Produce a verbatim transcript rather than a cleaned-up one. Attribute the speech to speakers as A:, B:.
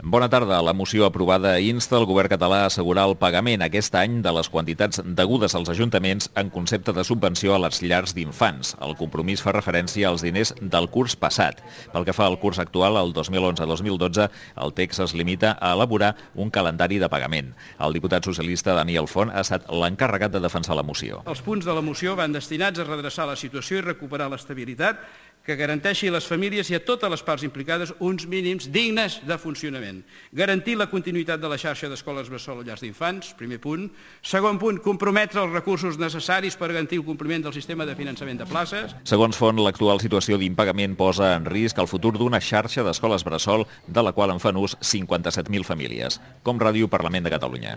A: Bona tarda. La moció aprovada insta el govern català a assegurar el pagament aquest any de les quantitats degudes als ajuntaments en concepte de subvenció a les llars d'infants. El compromís fa referència als diners del curs passat. Pel que fa al curs actual, el dos mil onze dos mil dotze, el text es limita a elaborar un calendari de pagament. El diputat socialista Daniel Font ha estat l'encarregat de defensar la moció.
B: Els punts de la moció van destinats a redreçar la situació i recuperar l'estabilitat que garanteixi a les famílies i a totes les parts implicades uns mínims dignes de funcionament. Garantir la continuïtat de la xarxa d'escoles bressol o llars d'infants, primer punt. Segon punt, comprometre els recursos necessaris per garantir el compliment del sistema de finançament de places.
A: Segons Font, l'actual situació d'impagament posa en risc el futur d'una xarxa d'escoles bressol de la qual en fan ús cinquanta-set mil famílies. Com Ràdio Parlament de Catalunya.